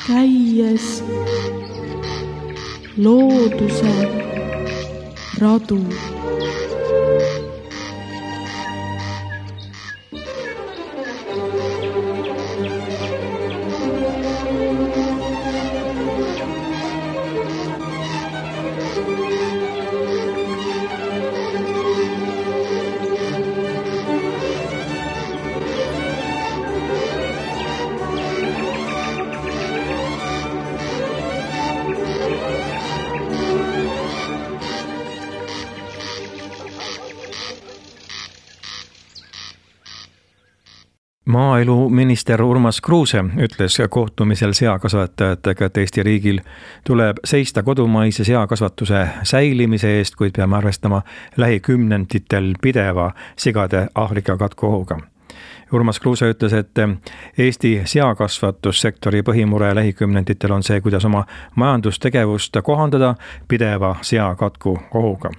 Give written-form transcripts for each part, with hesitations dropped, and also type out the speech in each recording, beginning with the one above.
käies looduse radu. Maaeluminister Urmas Kruuse ütles kohtumisel seakasvatajatega, et Eesti riigil tuleb seista kodumaise seakasvatuse säilimise eest, kuid peame arvestama lähikümnenditel pideva sigade Aafrika katku ohuga. Urmas Kruuse ütles, et Eesti seakasvatussektori põhimure lähikümnenditel on see, kuidas oma majandustegevust kohandada pideva seakatku ohuga.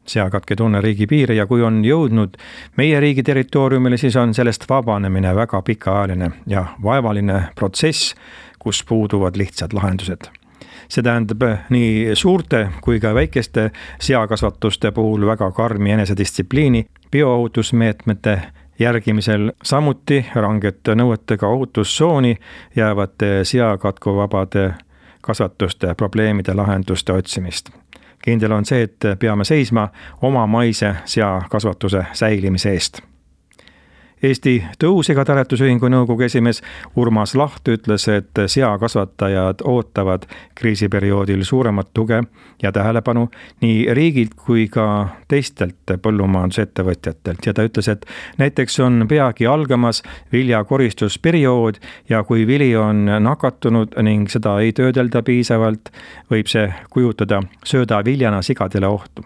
Seakatk ei tunne riigi piire ja kui on jõudnud meie riigi territooriumile, siis on sellest vabanemine väga pikaajaline ja vaevaline protsess, kus puuduvad lihtsad lahendused. See tähendab nii suurte kui ka väikeste seakasvatuste puhul väga karmi enesedistsipliini, bioohutusmeetmete järgimisel, samuti rangete nõuetega ohutustsooni jäävate seakatkuvabade kasvatuste probleemide lahenduste otsimist. Kindel on see, et peame seisma oma maise seakasvatuse säilimise eest. Eesti Tõusigataretusühingu nõukogu esimees Urmas Laht ütles, et seakasvatajad ootavad kriisiperioodil suuremat tuge ja tähelepanu nii riigilt kui ka teistelt põllumajandusettevõtjatelt. Ja ta ütles, et näiteks on peagi algamas viljakoristusperiood ja kui vili on nakatunud ning seda ei töödelda piisavalt, võib see kujutada söödaviljana sigadele ohtu.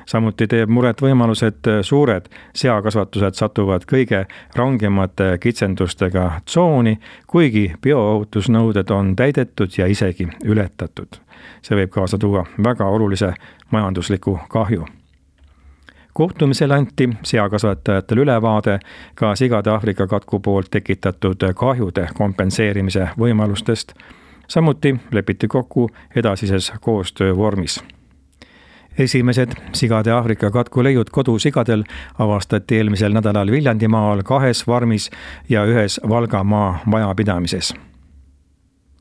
Samuti teeb muret võimalus, et suured seakasvatused satuvad kõige rangemate kitsendustega tsooni, kuigi bioohutusnõuded on täidetud ja isegi ületatud. See võib kaasa tuua väga olulise majandusliku kahju. Kohtumisel anti seakasvatajatele ülevaade ka sigade Aafrika katku poolt tekitatud kahjude kompenseerimise võimalustest. Samuti lepiti kokku edasises koostöövormis. Esimesed sigade Aafrika katku leiud kodusigadel avastati eelmisel nädalal Viljandimaal 2 farmis ja 1 Valgamaa majapidamises.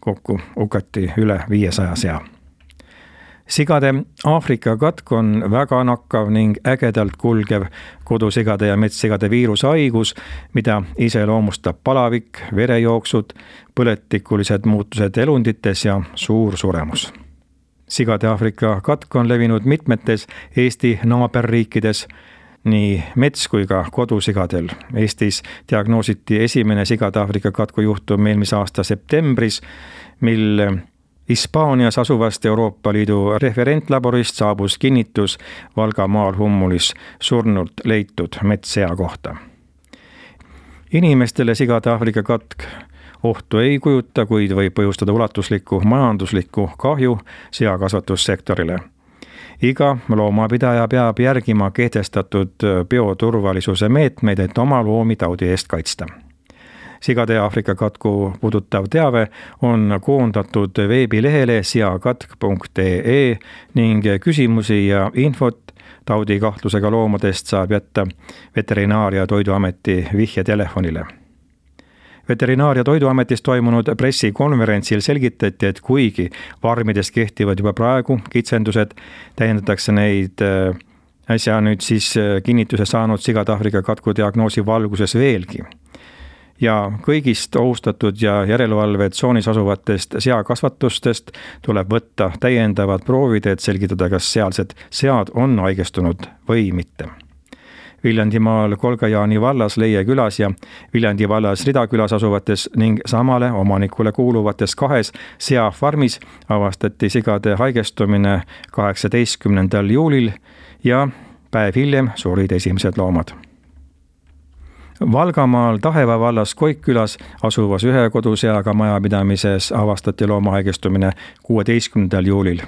Kokku hukati üle 500 sea. Sigade Aafrika katk on väga nakkav ning ägedalt kulgev kodusigade ja metssigade viirushaigus, mida iseloomustab palavik, verejooksud, põletikulised muutused elundites ja suur suremus. Sigade Aafrika katk on levinud mitmetes Eesti naaberriikides, nii mets- kui ka kodusigadel. Eestis diagnoositi esimene sigade Aafrika katku juhtum eelmise aasta septembris, mil Hispaanias asuvast Euroopa Liidu referentlaborist saabus kinnitus Valgamaal Hummulis surnult leitud metssea kohta. Inimestele sigade Aafrika katk ohtu ei kujuta, kuid võib põhjustada ulatuslikku majanduslikku kahju seakasvatussektorile. Iga loomapidaja peab järgima kehtestatud bioturvalisuse meetmeid, et oma loomi taudi eest kaitsta. Sigade Aafrika katku puudutav teave on koondatud veebilehele seakatk.ee ning küsimusi ja infot taudikahtlusega loomadest saab jätta Veterinaar- ja Toiduameti vihjetelefonile. Veterinaar- ja Toiduametis toimunud pressikonverentsil selgitati, et kuigi farmides kehtivad juba praegu kitsendused, täiendatakse neid äsja nüüd siis kinnituse saanud sigade Aafrika katku diagnoosi valguses veelgi. Ja kõigist ohustatud ja järelevalvetsoonis asuvatest seakasvatustest tuleb võtta täiendavad proovid, et selgitada, kas sealsed sead on haigestunud või mitte. Viljandimaal Kolga-Jaani vallas Leie külas ja Viljandi vallas Rida külas asuvates ning samale omanikule kuuluvates 2 seafarmis avastati sigade haigestumine 18. juulil ja päev hiljem surid esimesed loomad. Valgamaal Taheva vallas Koikkülas asuvas 1 koduseaga majapidamises avastati looma haigestumine 16. juulil.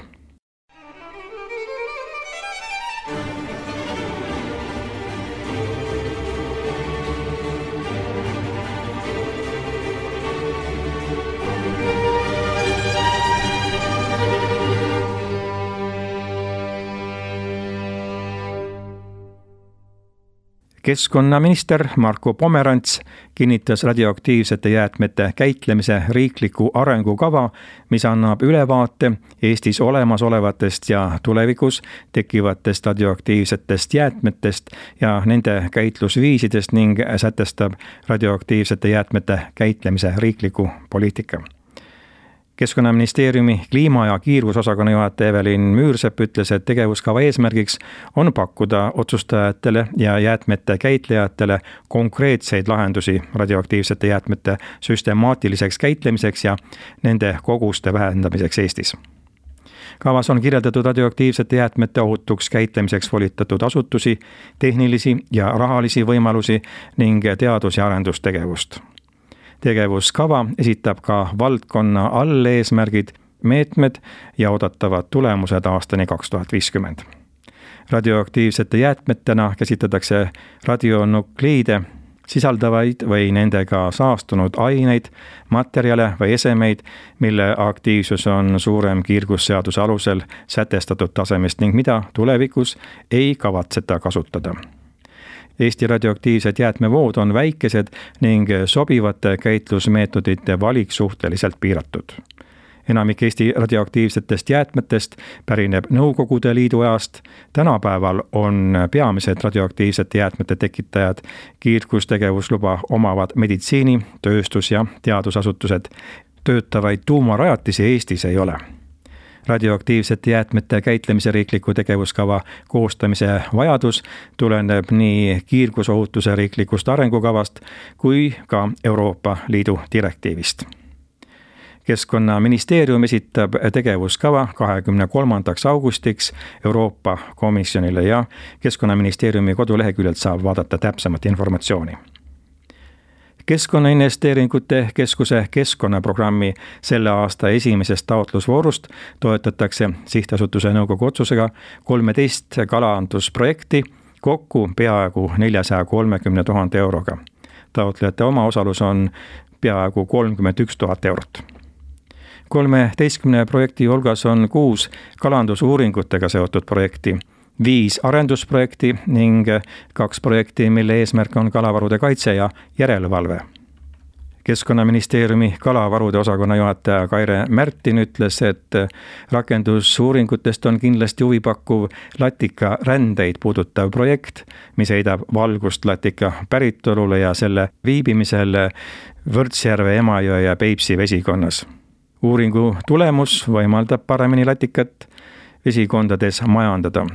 Keskkonnaminister Marko Pomerants kinnitas radioaktiivsete jäätmete käitlemise riikliku arengukava, mis annab ülevaate Eestis olemasolevatest ja tulevikus tekkivatest radioaktiivsetest jäätmetest ja nende käitlusviisidest ning sätestab radioaktiivsete jäätmete käitlemise riikliku poliitika. Keskkonnaministeeriumi kliima- ja kiirgusosakonna juhataja Evelin Müürsepp ütles, et tegevuskava eesmärgiks on pakkuda otsustajatele ja jäätmete käitlejatele konkreetseid lahendusi radioaktiivsete jäätmete süstemaatiliseks käitlemiseks ja nende koguste vähendamiseks Eestis. Kavas on kirjeldatud radioaktiivsete jäätmete ohutuks käitlemiseks volitatud asutusi, tehnilisi ja rahalisi võimalusi ning teadus- ja arendustegevust. Tegevuskava esitab ka valdkonna alleesmärgid, meetmed ja oodatavad tulemused aastani 2050. Radioaktiivsete jäätmetena käsitletakse radionukliide sisaldavaid või nendega saastunud aineid, materjale või esemeid, mille aktiivsus on suurem kiirgusseaduse alusel sätestatud tasemest ning mida tulevikus ei kavatseta kasutada. Eesti radioaktiivsed jäätmevood on väikesed ning sobivate käitlusmeetodite valik suhteliselt piiratud. Enamik Eesti radioaktiivsetest jäätmetest pärineb Nõukogude Liidu ajast. Tänapäeval on peamised radioaktiivsete jäätmete tekitajad kiirgustegevusluba omavad meditsiini, tööstus- ja teadusasutused. Töötavaid tuumarajatisi Eestis ei ole. Radioaktiivsete jäätmete käitlemise riikliku tegevuskava koostamise vajadus tuleneb nii kiirgusohutuse riiklikust arengukavast kui ka Euroopa Liidu direktiivist. Keskkonnaministeerium esitab tegevuskava 23. augustiks Euroopa Komisjonile ja Keskkonnaministeeriumi koduleheküljelt saab vaadata täpsemat informatsiooni. Keskkonnainvesteeringute Keskuse keskkonnaprogrammi selle aasta esimesest taotlusvoorust toetatakse sihtasutuse nõukogu otsusega 13 kalandusprojekti kokku peaaegu 430 000 euroga. Taotlejate omaosalus on peaaegu 31 000 eurot. 13 projekti hulgas on 6 kalandusuuringutega seotud projekti, 5 arendusprojekti ning 2 projekti, mille eesmärk on kalavarude kaitse ja järelevalve. Keskkonnaministeeriumi kalavarude osakonna juhataja Kaire Märtin ütles, et rakendusuuringutest on kindlasti huvipakkuv latika rändeid puudutav projekt, mis heidab valgust latika päritolule ja selle viibimisele Võrtsjärve, Emajõe ja Peipsi vesikonnas. Uuringu tulemus võimaldab paremini latikat vesikondades majandada.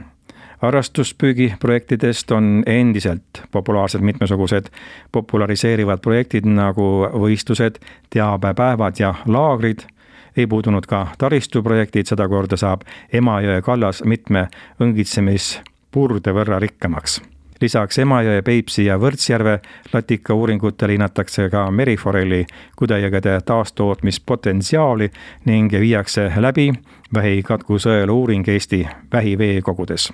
Harrastuspüügiprojektidest on endiselt populaarsed mitmesugused populariseerivad projektid nagu võistlused, teabepäevad ja laagrid. Ei puudunud ka taristuprojektid, seda korda saab Emajõe kallas mitme õngitsemispurde võrra rikkamaks. Lisaks Emajõe, Peipsi ja Võrtsjärve latika uuringutele hinnatakse ka meriforelli kudejõgede taastootmispotentsiaali ning viiakse läbi vähikatku sõelu uuring Eesti vähiveekogudes.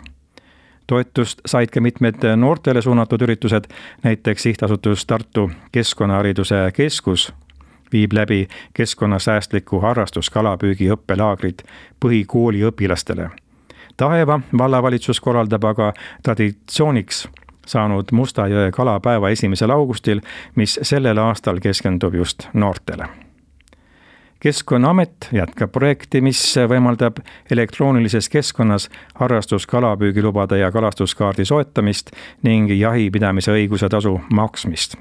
Toetust said ka mitmed noortele suunatud üritused, näiteks sihtasutus Tartu Keskkonnahariduse Keskus viib läbi keskkonnasäästliku harrastuskalapüügi õppelaagrid põhikooli õpilastele. Taeva vallavalitsus korraldab aga traditsiooniks saanud Mustajõe kalapäeva 1. augustil, mis sellel aastal keskendub just noortele. Keskkonnaamet jätkab projekti, mis võimaldab elektroonilises keskkonnas harrastuskalapüügilubade ja kalastuskaardi soetamist ning jahipidamise õiguse tasu maksmist.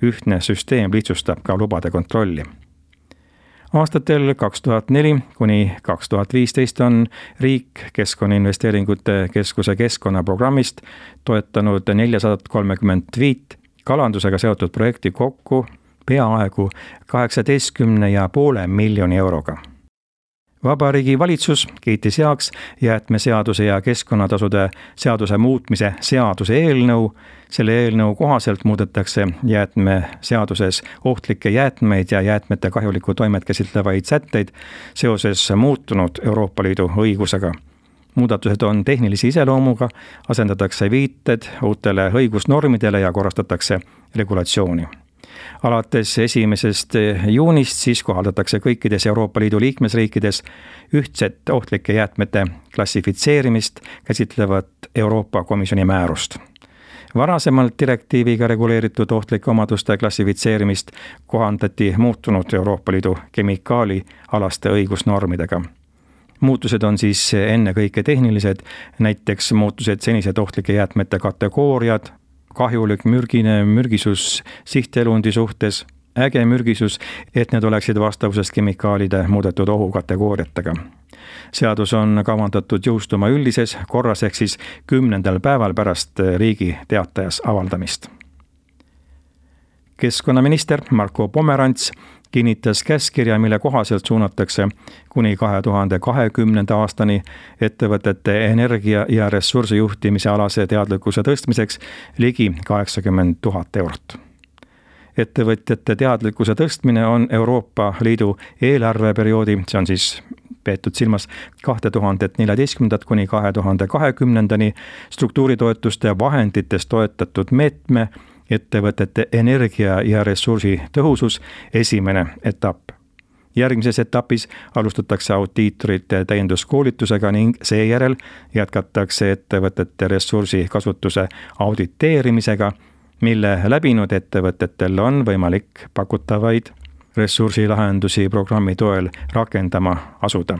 Ühtne süsteem lihtsustab ka lubade kontrolli. Aastatel 2004 kuni 2015 on riik Keskkonnainvesteeringute Keskuse keskkonnaprogrammist toetanud 435 kalandusega seotud projekti kokku peaaegu 18,5 miljoni euroga. Vabariigi valitsus kiitis heaks jäätmeseaduse ja keskkonnatasude seaduse muutmise seaduse eelnõu. Selle eelnõu kohaselt muudetakse jäätmeseaduses ohtlikke jäätmeid ja jäätmete kahjulikku toimet käsitlevaid sätteid seoses muutunud Euroopa Liidu õigusega. Muudatused on tehnilise iseloomuga, asendatakse viited uutele õigusnormidele ja korrastatakse regulatsiooni. Alates 1. juunist siis kohaldatakse kõikides Euroopa Liidu liikmesriikides ühtset ohtlike jäätmete klassifitseerimist käsitlevat Euroopa Komisjoni määrust. Varasemalt direktiiviga reguleeritud ohtlike omaduste klassifitseerimist kohandati muutunud Euroopa Liidu kemikaalialaste õigusnormidega. Muutused on siis ennekõike tehnilised, näiteks muutused senised ohtlike jäätmete kategooriad, kahjulik mürgine mürgisus sihtelundi suhtes, äge mürgisus, et need oleksid vastavuses kemikaalide muudetud ohukategooriatega. Seadus on kavandatud jõustuma üldises korras ehk siis 10. päeval pärast Riigi Teatajas avaldamist. Keskkonnaminister Marko Pomerants kinnitas käskkirja, mille kohaselt suunatakse kuni 2020. aastani ettevõtete energia- ja ressursijuhtimise alase teadlikkuse tõstmiseks ligi 80 000 eurot. Ettevõtjate teadlikkuse tõstmine on Euroopa Liidu eelarveperioodi, see on siis peetud silmas 2014. kuni 2020. struktuuritoetuste vahenditest toetatud meetme ettevõtete energia- ja ressursi tõhusus esimene etapp. Järgmises etapis alustatakse audiitorite täienduskoolitusega ning seejärel jätkatakse ettevõtete ressursi kasutuse auditeerimisega, mille läbinud ettevõtetel on võimalik pakutavaid ressursilahendusi programmi toel rakendama asuda.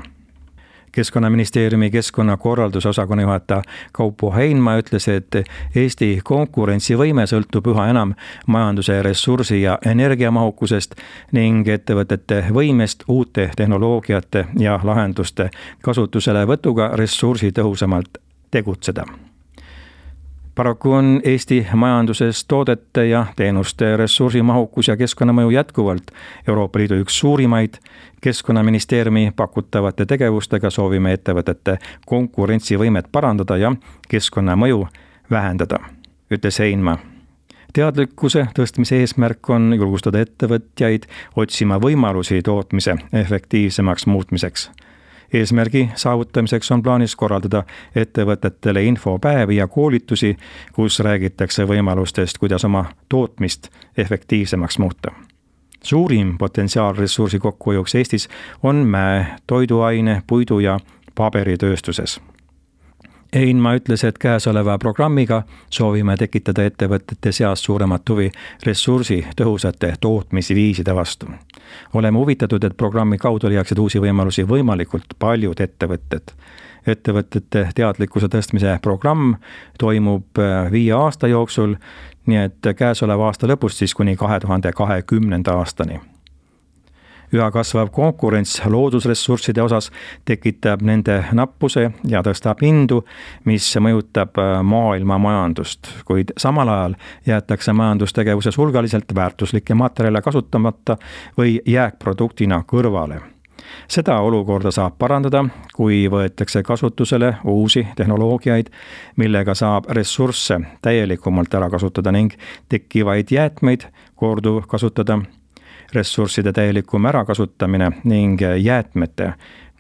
Keskkonnaministeeriumi keskkonnakorralduse osakonna juhataja Kaupo Heinma ütles, et Eesti konkurentsivõime sõltub üha enam majanduse ressursi- ja energiamahukusest ning ettevõtete võimest uute tehnoloogiate ja lahenduste kasutuselevõtuga ressursi tõhusamalt tegutseda. Paraku on Eesti majanduses toodete ja teenuste ressursimahukus ja keskkonnamõju jätkuvalt Euroopa Liidu üks suurimaid. Keskkonnaministeeriumi pakutavate tegevustega soovime ettevõtete konkurentsivõimet parandada ja keskkonnamõju vähendada, ütles Heinma. Teadlikkuse tõstmise eesmärk on julgustada ettevõtjaid otsima võimalusi tootmise efektiivsemaks muutmiseks. Eesmärgi saavutamiseks on plaanis korraldada ettevõtetele infopäevi ja koolitusi, kus räägitakse võimalustest, kuidas oma tootmist efektiivsemaks muuta. Suurim potentsiaal ressursi kokkuhoiuks Eestis on mäe, toiduaine, puidu ja paberitööstuses. Heinma ütles, et käesoleva programmiga soovime tekitada ettevõtete seas suuremat huvi ressursi tõhusate tootmisviiside vastu. Oleme huvitatud, et programmi kaudu leiaksid uusi võimalusi võimalikult paljud ettevõtted. Ettevõtete teadlikkuse tõstmise programm toimub 5 aasta jooksul, nii et käesoleva aasta lõpust siis kuni 2020. aastani. Üha kasvav konkurents loodusressursside osas tekitab nende nappuse ja tõstab hindu, mis mõjutab maailma majandust, kuid samal ajal jäetakse majandustegevuses hulgaliselt väärtuslikke materjale kasutamata või jääkproduktina kõrvale. Seda olukorda saab parandada, kui võetakse kasutusele uusi tehnoloogiaid, millega saab ressursse täielikumalt ära kasutada ning tekkivaid jäätmeid korduvkasutada. Ressursside täielikum ärakasutamine ning jäätmete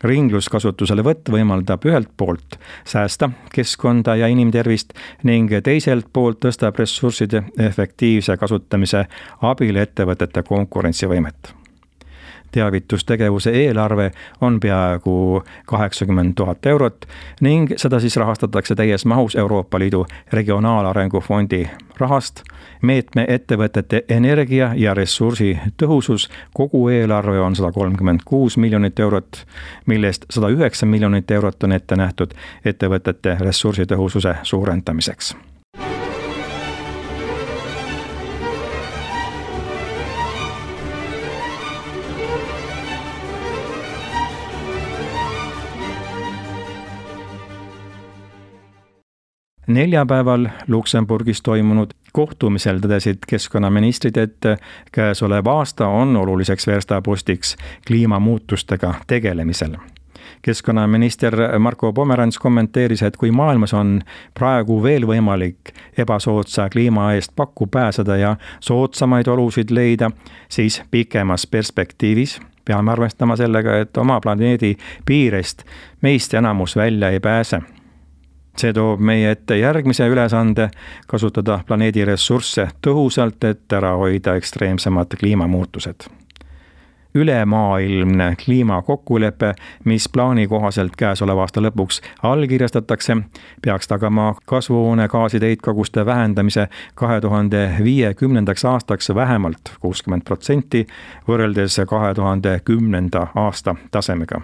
ringluskasutuselevõtt võimaldab ühelt poolt säästa keskkonda ja inimtervist ning teiselt poolt tõstab ressursside efektiivse kasutamise abil ettevõtete konkurentsivõimet. Teavitustegevuse eelarve on peaaegu 80 000 eurot ning seda siis rahastatakse täies mahus Euroopa Liidu Regionaalarengu Fondi rahast. Meetme ettevõtete energia ja ressursi tõhusus kogu eelarve on 136 miljonit eurot, millest 109 miljonit eurot on ette nähtud ettevõtete ressursi tõhususe suurendamiseks. Neljapäeval Luksemburgis toimunud kohtumisel tõdesid keskkonnaministrid, et käesolev aasta on oluliseks verstapostiks kliimamuutustega tegelemisel. Keskkonnaminister Marko Pomerants kommenteeris, et kui maailmas on praegu veel võimalik ebasoodsa kliima eest pakku pääseda ja soodsamaid olusid leida, siis pikemas perspektiivis peame arvestama sellega, et oma planeedi piirest meist enamus välja ei pääse. See toob meie ette järgmise ülesande kasutada planeedi ressursse tõhusalt, et ära hoida ekstreemsemad kliimamuutused. ülemaailmne kliimakokkulepe, mis plaani kohaselt käesoleva aasta lõpuks allkirjastatakse, peaks tagama kasvuhoonegaaside heitkoguste vähendamise 2050. aastaks vähemalt 60% võrreldes 2010. aasta tasemega.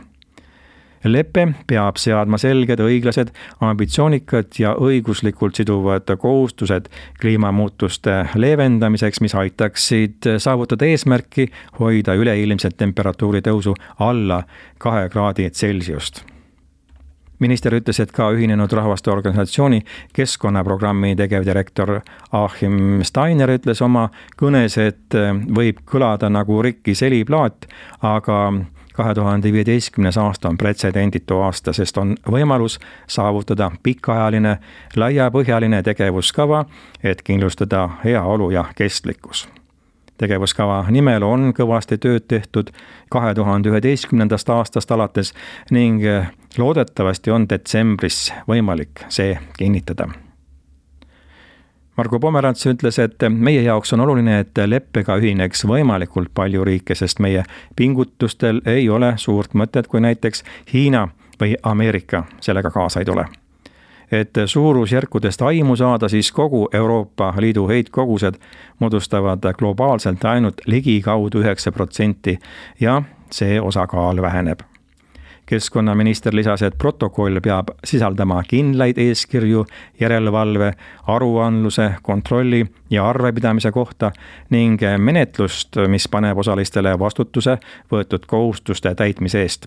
Lepe peab seadma selged, õiglased, ambitsioonikad ja õiguslikult siduvad kohustused kliimamuutuste leevendamiseks, mis aitaksid saavutada eesmärki hoida üleilmset temperatuuri tõusu alla 2 kraadi Celsiust. Minister ütles, et ka Ühinenud Rahvaste Organisatsiooni keskkonnaprogrammi tegevdirektor Achim Steiner ütles oma kõnes, et võib kõlada nagu rikkis heliplaat, aga 2015. aasta on pretsedenditu aasta, sest on võimalus saavutada pikaajaline, laiapõhjaline tegevuskava, et kindlustada heaolu ja kestlikkus. Tegevuskava nimel on kõvasti tööd tehtud 2011. aastast alates ning loodetavasti on detsembris võimalik see kinnitada. Margo Pomerants ütles, et meie jaoks on oluline, et leppega ühineks võimalikult palju riike, sest meie pingutustel ei ole suurt mõtet, kui näiteks Hiina või Ameerika sellega kaasa ei tule. Et suurusjärkudest aimu saada, siis kogu Euroopa Liidu heitkogused moodustavad globaalselt ainult ligikaudu 9% ja see osakaal väheneb. Keskkonnaminister lisas, et protokoll peab sisaldama kindlaid eeskirju järelevalve, aruandluse, kontrolli ja arvepidamise kohta ning menetlust, mis paneb osalistele vastutuse võetud kohustuste täitmise eest.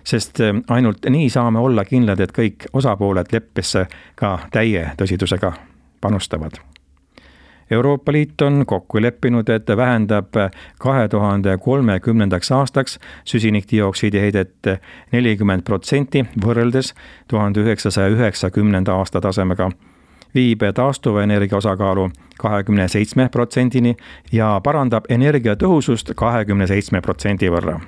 Sest ainult nii saame olla kindlad, et kõik osapooled leppesse ka täie tõsidusega panustavad. Euroopa Liit on kokku leppinud, et vähendab 2030. aastaks süsinikdioksiidi heidet 40% võrreldes 1990. aasta tasemega, viib taastuvenergia osakaalu 27%-ni ja parandab energiatõhusust 27% võrra.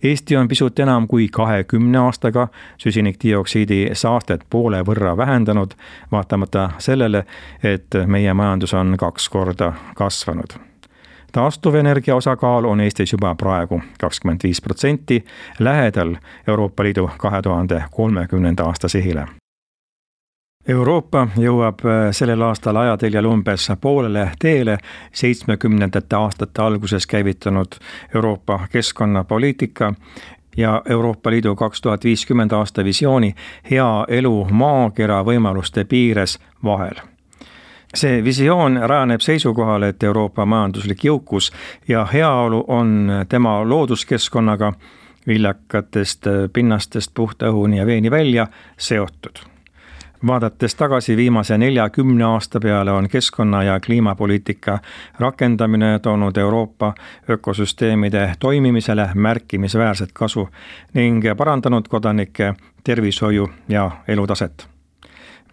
Eesti on pisut enam kui 20 aastaga süsinikdioksiidi saastet poole võrra vähendanud, vaatamata sellele, et meie majandus on 2 korda kasvanud. Taastuvenergia osakaal on Eestis juba praegu 25%, lähedal Euroopa Liidu 2030. aasta sihile. Euroopa jõuab sellel aastal ajateljel umbes poolele teele 70. aastate alguses käivitanud Euroopa keskkonnapoliitika ja Euroopa Liidu 2050. aasta visiooni hea elu maakera võimaluste piires vahel. See visioon rajaneb seisukohal, et Euroopa majanduslik jõukus ja heaolu on tema looduskeskkonnaga viljakatest pinnastest puhta õhuni ja veeni välja seotud. Vaadates tagasi viimase 40 aasta peale on keskkonna- ja kliimapoliitika rakendamine toonud Euroopa ökosüsteemide toimimisele märkimisväärset kasu ning parandanud kodanike tervishoiu ja elutaset.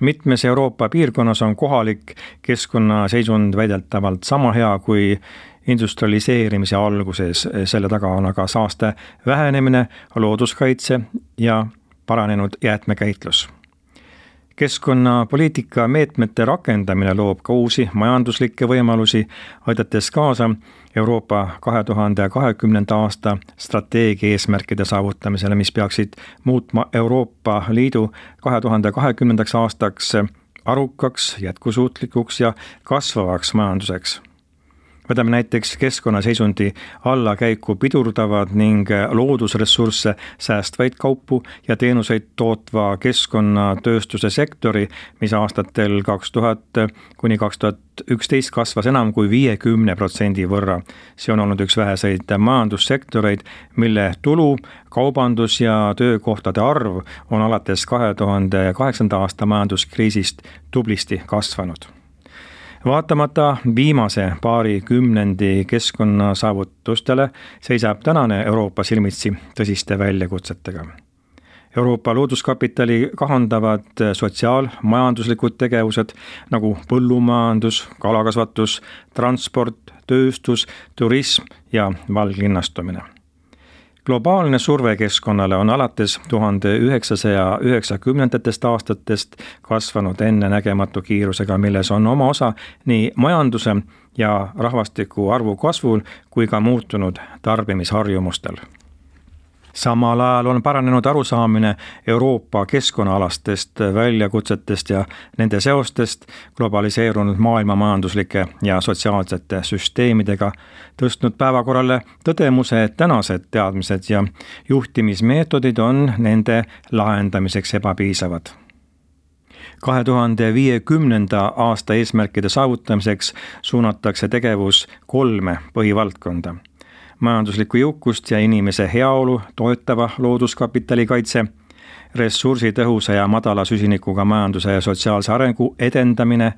Mitmes Euroopa piirkonnas on kohalik keskkonnaseisund väidetavalt sama hea kui industrialiseerimise alguses, selle taga on aga saaste vähenemine, looduskaitse ja paranenud jäätmekäitlus. Keskkonnapoliitika meetmete rakendamine loob ka uusi majanduslikke võimalusi, aidates kaasa Euroopa 2020. aasta strateegia eesmärkide saavutamisele, mis peaksid muutma Euroopa Liidu 2020. aastaks arukaks, jätkusuutlikuks ja kasvavaks majanduseks. Võtame näiteks keskkonnaseisundi allakäiku pidurdavad ning loodusressursse säästvaid kaupu ja teenuseid tootva keskkonnatööstuse sektori, mis aastatel 2000 kuni 2011 kasvas enam kui 50% võrra. See on olnud üks väheseid majandussektoreid, mille tulu, kaubandus ja töökohtade arv on alates 2008. aasta majanduskriisist tublisti kasvanud. Vaatamata viimase paari kümnendi keskkonnasaavutustele seisab tänane Euroopa silmitsi tõsiste väljakutsetega. Euroopa Looduskapitali kahandavad sotsiaalmajanduslikud tegevused nagu põllumajandus, kalakasvatus, transport, tööstus, turism ja valglinnastumine. Globaalne surve keskkonnale on alates 1990. aastatest kasvanud ennenägematu kiirusega, milles on oma osa nii majanduse ja rahvastiku arvu kasvul kui ka muutunud tarbimisharjumustel. Samal ajal on paranenud arusaamine Euroopa keskkonnaalastest väljakutsetest ja nende seostest globaliseerunud maailma majanduslike ja sotsiaalsete süsteemidega, tõstnud päevakorrale tõdemuse, et tänased teadmised ja juhtimismeetodid on nende lahendamiseks ebapiisavad. 2050. aasta eesmärkide saavutamiseks suunatakse tegevus 3 põhivaldkonda. Majanduslikku jõukust ja inimese heaolu toetava looduskapitali kaitse, ressursitõhusa ja madala süsinikuga majanduse ja sotsiaalse arengu edendamine,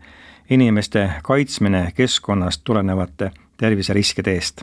inimeste kaitsmine keskkonnast tulenevate terviseriskide eest.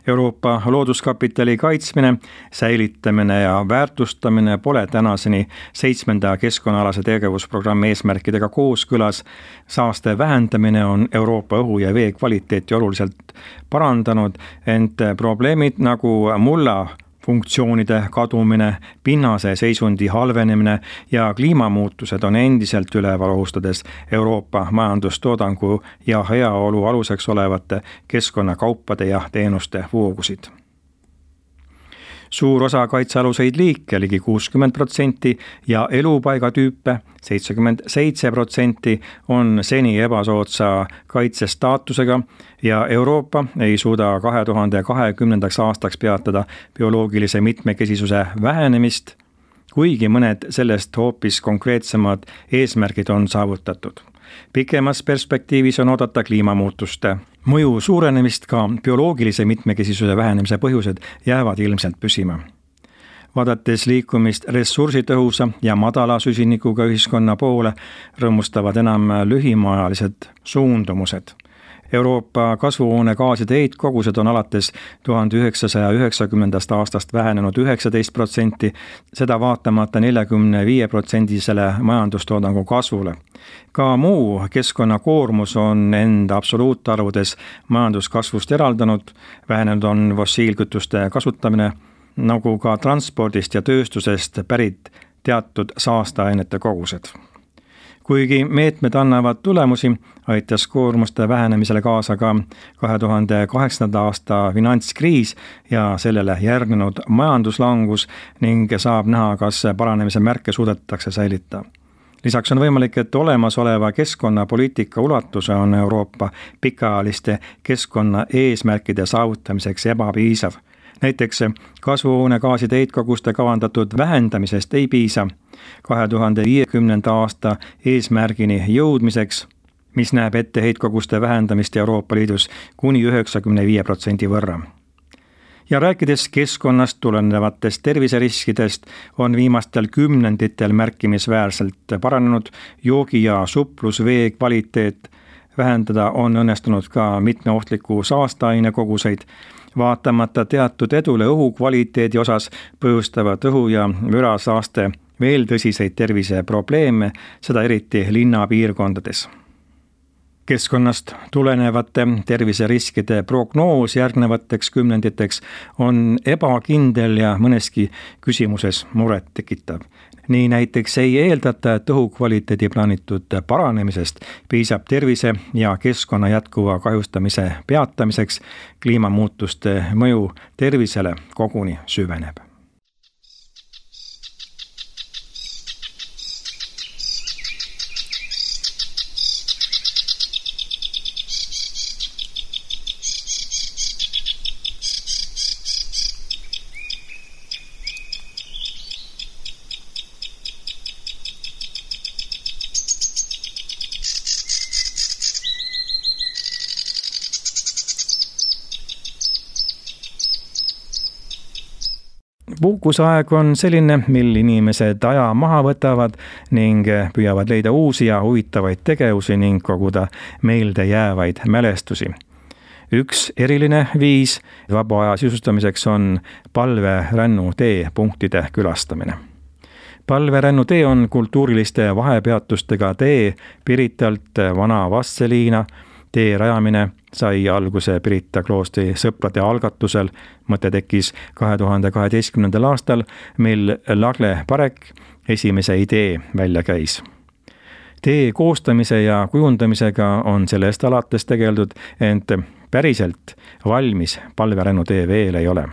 Euroopa looduskapitali kaitsmine, säilitamine ja väärtustamine pole tänaseni 7. keskkonnaalase tegevusprogrammi eesmärkidega kooskõlas. Saaste vähendamine on Euroopa õhu ja vee kvaliteeti oluliselt parandanud, ent probleemid nagu mulla funktsioonide kadumine, pinnase seisundi halvenemine ja kliimamuutused on endiselt üleval, ohustades Euroopa majandustoodangu ja heaolu aluseks olevate keskkonnakaupade ja teenuste voogusid. Suur osa kaitsealuseid liike, ligi 60%, ja elupaigatüüpe, 77%, on seni ebasoodsa kaitsestaatusega ja Euroopa ei suuda 2020. aastaks peatada bioloogilise mitmekesisuse vähenemist, kuigi mõned sellest hoopis konkreetsemad eesmärgid on saavutatud. Pikemas perspektiivis on oodata kliimamuutuste mõju suurenemist, ka bioloogilise mitmekesisuse vähenemise põhjused jäävad ilmselt püsima. Vaadates liikumist ressursitõhusa ja madala süsinikuga ühiskonna poole, rõõmustavad enam lühimaajalised suundumused. Euroopa kasvuhoonegaaside heitkogused on alates 1990. aastast vähenenud 19%, seda vaatamata 45%-sele majandustoodangu kasvule. Ka muu keskkonnakoormus on enda absoluutarvudes majanduskasvust eraldanud, vähenenud on fossiilkütuste kasutamine, nagu ka transpordist ja tööstusest pärit teatud saasteainete kogused. Kuigi meetmed annavad tulemusi, aitas koormuste vähenemisele kaasa ka 2008. aasta finantskriis ja sellele järgnenud majanduslangus ning saab näha, kas paranemise märke suudetakse säilitada. Lisaks on võimalik, et olemasoleva keskkonnapoliitika ulatuse on Euroopa pikaajaliste keskkonna eesmärkide saavutamiseks ebapiisav. Näiteks kasvuhoonegaaside heitkoguste kavandatud vähendamisest ei piisa 2050. aasta eesmärgini jõudmiseks, mis näeb ette heitkoguste vähendamist Euroopa Liidus kuni 95% võrra. Ja rääkides keskkonnast tulenevatest terviseriskidest, on viimastel kümnenditel märkimisväärselt paranenud joogi- ja suplusvee kvaliteet. Vähendada on õnnestunud ka mitme ohtliku saasteaine koguseid. Vaatamata teatud edule õhu kvaliteedi osas põhjustavad õhu- ja mürasaaste veel tõsiseid terviseprobleeme, seda eriti linnapiirkondades. Keskkonnast tulenevate terviseriskide prognoos järgnevateks kümnenditeks on ebakindel ja mõneski küsimuses muret tekitav. Nii näiteks ei eeldata, et õhukvaliteedi plaanitud paranemisest piisab tervise ja keskkonna jätkuva kahjustamise peatamiseks, kliimamuutuste mõju tervisele koguni süveneb. Puhkuseaeg on selline, mil inimesed aja maha võtavad ning püüavad leida uusi ja huvitavaid tegevusi ning koguda meelde jäävaid mälestusi. Üks eriline viis vaba aja sisustamiseks on palverännutee punktide külastamine. Palverännutee on kultuuriliste vahepeatustega tee Piritalt Vana Vastseliina, Tee rajamine sai alguse Pirita kloostri sõprade algatusel. Mõte tekkis 2012. aastal, mil Lagle Parek esimese idee välja käis. Tee koostamise ja kujundamisega on sellest alates tegeldud, ent päriselt valmis palverännu tee veel ei ole.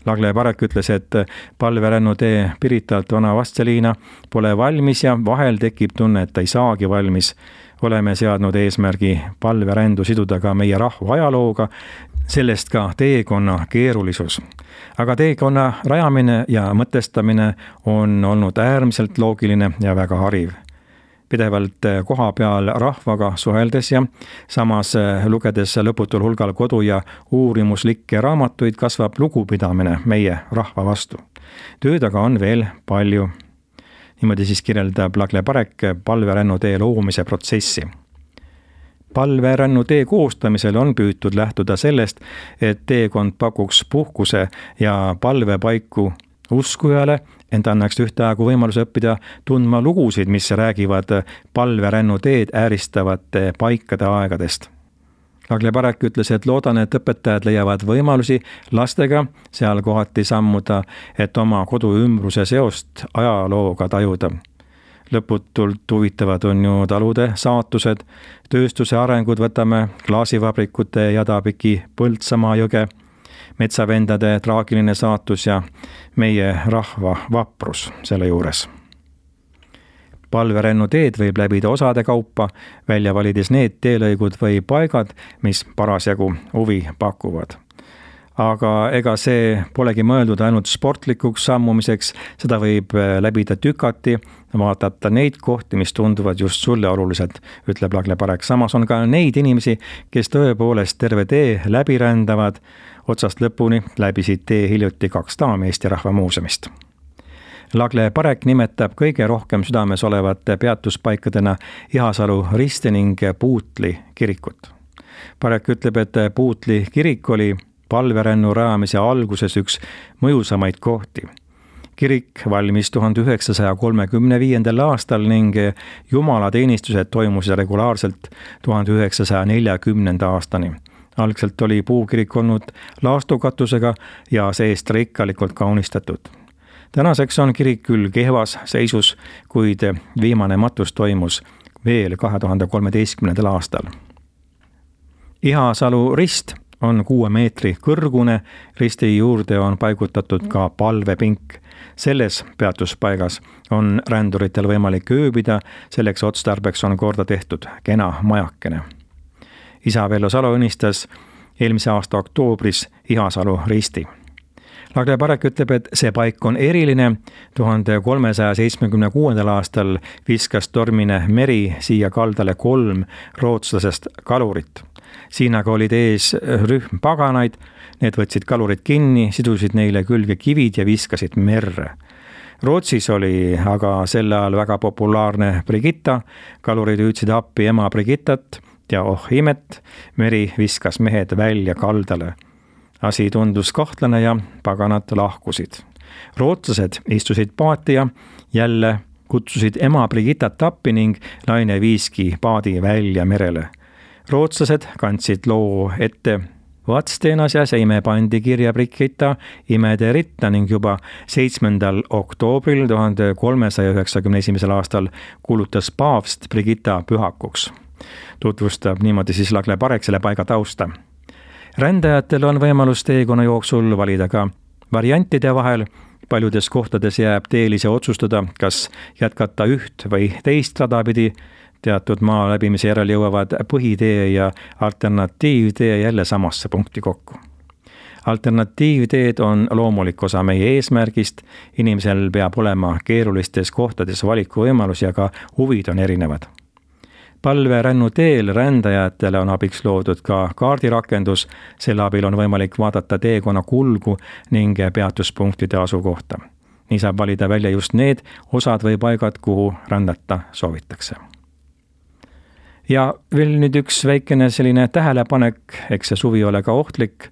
Lagle Parek ütles, et palverännu tee Piritalt Vana Vastseliina pole valmis ja vahel tekib tunne, et ta ei saagi valmis. Oleme seadnud eesmärgi palverändu siduda ka meie rahva ajalooga, sellest ka teekonna keerulisus. Aga teekonna rajamine ja mõtestamine on olnud äärmiselt loogiline ja väga hariv. Pidevalt koha peal rahvaga suheldes ja samas lugedes lõputul hulgal kodu- ja uurimuslikke raamatuid kasvab lugupidamine meie rahva vastu. Tööd aga on veel palju. Niimoodi siis kirjeldab Lagle Parek palverännu tee loomise protsessi. Palverännu tee koostamisel on püütud lähtuda sellest, et teekond pakuks puhkuse ja palvepaiku uskujale, ent annaks ühtaegu võimaluse õppida tundma lugusid, mis räägivad palverännu teed ääristavate paikade aegadest. Lagle Parek ütles, et loodan, et õpetajad leiavad võimalusi lastega seal kohati sammuda, et oma kodu ümbruse seost ajalooga tajuda. Lõputult huvitavad on ju talude saatused, tööstuse arengud, võtame klaasivabrikute Jadapiki Põltsamaa jõge, metsavendade traagiline saatus ja meie rahva vaprus selle juures. Palverännu teed võib läbida osade kaupa, välja valides need teelõigud või paigad, mis parasjagu huvi pakuvad. Aga ega see polegi mõeldud ainult sportlikuks sammumiseks, seda võib läbida tükati, vaadata neid kohti, mis tunduvad just sulle olulised, ütleb Lagle Parek. Samas on ka neid inimesi, kes tõepoolest terve tee läbi rändavad, otsast lõpuni läbisid tee hiljuti 2 daami Eesti Rahva Muuseumist. Lagle Parek nimetab kõige rohkem südames olevate peatuspaikadena Ihasalu Riste ning Puutli kirikut. Parek ütleb, et Puutli kirik oli palverännu rajamise alguses üks mõjusamaid kohti. Kirik valmis 1935. aastal ning jumalateenistused toimusid regulaarselt 1940. aastani. Algselt oli puukirik olnud laastukatusega ja seest rikkalikult kaunistatud. Tänaseks on kirik küll kehvas seisus, kuid viimane matus toimus veel 2013. aastal. Ihasalu rist on 6 meetri kõrgune, risti juurde on paigutatud ka palvepink. Selles peatuspaigas on ränduritel võimalik ööbida, selleks otstarbeks on korda tehtud kena majakene. Isa Vello Salo õnnistas eelmise aasta oktoobris Ihasalu risti. Lagle Parek ütleb, et see paik on eriline. 1376. aastal viskas tormine meri siia kaldale 3 rootslasest kalurit. Siin aga olid ees rühm paganaid, need võtsid kalurid kinni, sidusid neile külge kivid ja viskasid merre. Rootsis oli aga sel ajal väga populaarne Brigitta, kalurid hüüdsid appi ema Brigittat ja oh imet, meri viskas mehed välja kaldale. Asi tundus kahtlane ja paganad lahkusid. Rootslased istusid paati ja jälle kutsusid ema Brigittat appi ning naine viiski paadi välja merele. Rootslased kandsid loo ette Vadstenas ja seime pandi kirja Brigitta imede ritta ning juba 7. oktoobril 1391. aastal kuulutas paavst Brigitta pühakuks. Tutvustab niimoodi siis Lagle Parek selle paiga tausta. Rändajatel on võimalus teekonna jooksul valida ka variantide vahel. Paljudes kohtades jääb teelise otsustada, kas jätkata üht või teist rada pidi. Teatud maa läbimise järel jõuavad põhitee ja alternatiivtee jälle samasse punkti kokku. Alternatiivteed on loomulik osa meie eesmärgist. Inimesel peab olema keerulistes kohtades valikuvõimalus ja ka huvid on erinevad. Palverännu teel rändajatele on abiks loodud ka kaardirakendus, selle abil on võimalik vaadata teekonna kulgu ning peatuspunktide asukohta. Nii saab valida välja just need osad või paigad, kuhu rändata soovitakse. Ja veel nüüd üks väikene selline tähelepanek, eks see suvi ole ka ohtlik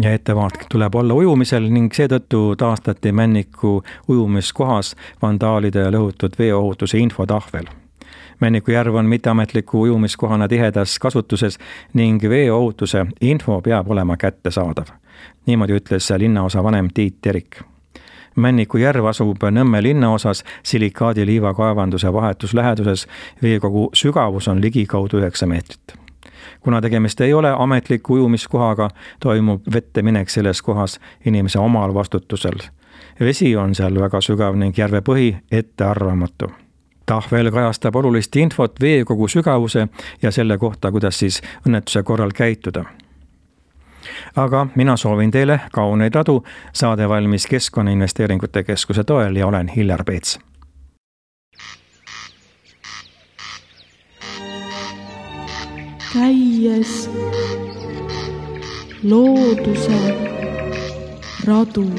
ja ettevaatlik tuleb olla ujumisel ning seetõttu taastati Männiku ujumiskohas vandaalide lõhutud veeohutuse infotahvel. Männiku järv on mitteametliku ujumiskohana tihedas kasutuses ning veeohutuse info peab olema kättesaadav. Niimoodi ütles linnaosa vanem Tiit Terik. Männiku järv asub Nõmme linnaosas silikaadiliiva kaevanduse vahetus läheduses, veekogu sügavus on ligikaudu 9 meetrit. Kuna tegemist ei ole ametliku ujumiskohaga, toimub vette minek selles kohas inimese omal vastutusel. Vesi on seal väga sügav ning järve põhi ettearvamatu. Tahvel kajastab olulist infot veekogu sügavuse ja selle kohta, kuidas siis õnnetuse korral käituda. Aga mina soovin teile kauneid radu, saade valmis Keskkonnainvesteeringute Keskuse toel ja olen Hillar Peets. Käies looduse radu.